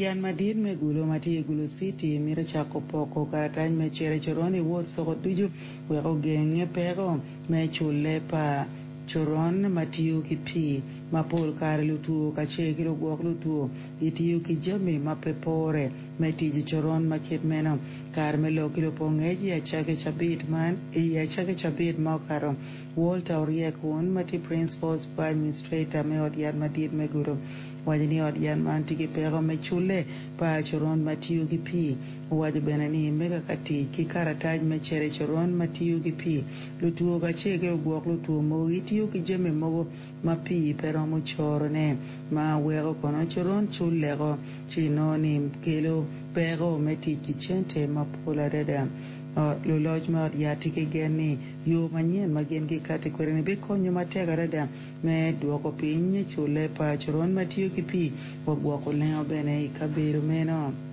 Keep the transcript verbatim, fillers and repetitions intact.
Yat madit me Gulu ma tye i Gulu City mito cako poko karatac me cito i coron i wod coko ducu wek ogeng peko me culle pa coron ma tiyo ki pii ma pol kare lutwo kacel ki lugwok lutwo gitiyo ki jami ma pe pore me tic i coron ma kit meno. Kare me lok ki lupo ngec i acaki cabit man i acaki cabit ma okato Walter Oryek-un ma tye Principal Administrator me ot yat madit me Gulu owaco ni ot yat man tye ki peko me culle pa coron ma tiyo ki pii owaco bene ni me kaka tic ki karatac me cito i coron ma tiyo ki pii lutwo kacel ki lugwok lutwo mogo gitiyo ki jami mogo ma pii pe romo corone ma weko kono coron culleko ci inongo ni kelo peko me tic ki cente mapol adada. Luloc me ot yat tye ki gen ni yo manyen ma gin gikati kwede-ni bikonyo matek adada me dwoko piny culle pa coron ma tiyo ki pii wa gwoko lengo bene i kabedo meno.